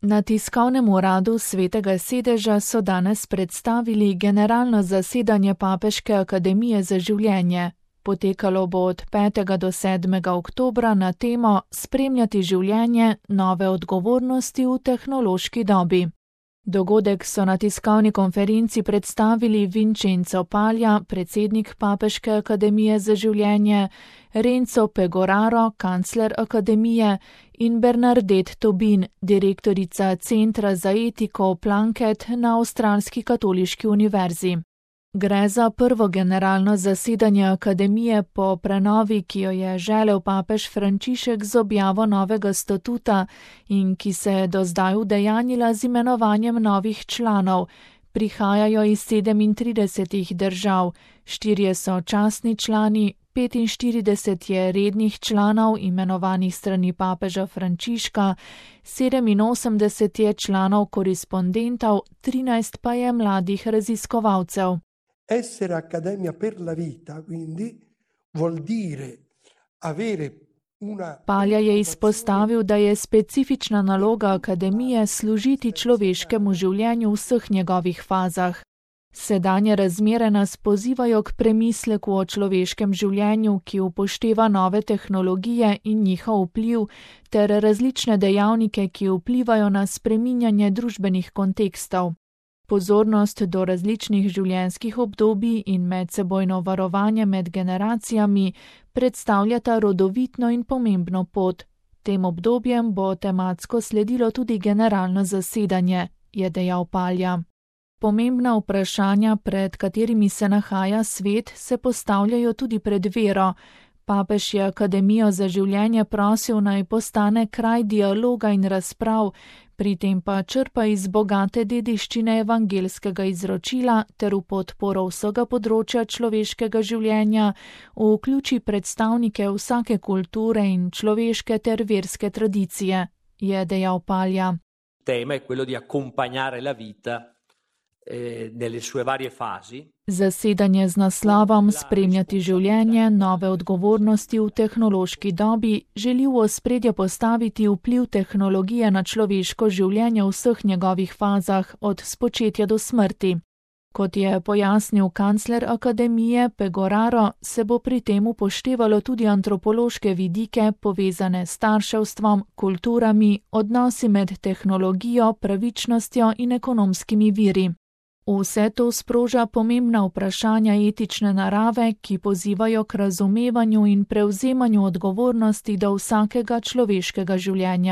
Na tiskovnem uradu Svetega sedeža so danes predstavili generalno zasedanje Papeške akademije za življenje. Potekalo bo od 5. do 7. oktobra na temo Spremljati življenje, nove odgovornosti v tehnološki dobi. Dogodek so na tiskovni konferenci predstavili Vincenzo Paglia, predsednik Papeške akademije za življenje, Renzo Pegoraro, kancler akademije, in Bernadette Tobin, direktorica Centra za etiko Plunkett na Avstralski katoliški univerzi. Gre za prvo generalno zasedanje akademije po prenovi, ki jo je želel papež Frančišek z objavo novega statuta in ki se je do zdaj udejanjila z imenovanjem novih članov. Prihajajo iz 37 držav, 4 so častni člani, 45 je rednih članov imenovanih strani papeža Frančiška, 87 je članov korespondentov, 13 pa je mladih raziskovalcev. Essere accademia per la vita, quindi, vuol dire avere una... Paglia je izpostavil, da je specifična naloga akademije služiti človeškemu življenju v vseh njegovih fazah. Sedanje razmere nas pozivajo k premisleku o človeškem življenju, ki upošteva nove tehnologije in njihov vpliv, ter različne dejavnike, ki vplivajo na spreminjanje družbenih kontekstov. Pozornost do različnih življenjskih obdobij in medsebojno varovanje med generacijami predstavljata rodovitno in pomembno pot. Tem obdobjem bo tematsko sledilo tudi generalno zasedanje, je dejal Paglia. Pomembna vprašanja, pred katerimi se nahaja svet, se postavljajo tudi pred vero. Papež je akademijo za življenje prosil, naj postane kraj dialoga in razprav, pri tem pa črpa iz bogate dediščine evangelskega izročila ter v podporo vsega področja človeškega življenja vključi predstavnike vsake kulture in človeške ter verske tradicije, je dejal Paglia. Tema je quello di accompagnare la vita nelle sue varie fasi. Zasedanje z naslovom Spremljati življenje, nove odgovornosti v tehnološki dobi želi v ospredje postaviti vpliv tehnologije na človeško življenje v vseh njegovih fazah, od spočetja do smrti. Kot je pojasnil kancler akademije Pegoraro, se bo pri tem upoštevalo tudi antropološke vidike povezane s starševstvom, kulturami, odnosi med tehnologijo, pravičnostjo in ekonomskimi viri. Vse to sproža pomembna vprašanja etične narave, ki pozivajo k razumevanju in prevzemanju odgovornosti do vsakega človeškega življenja.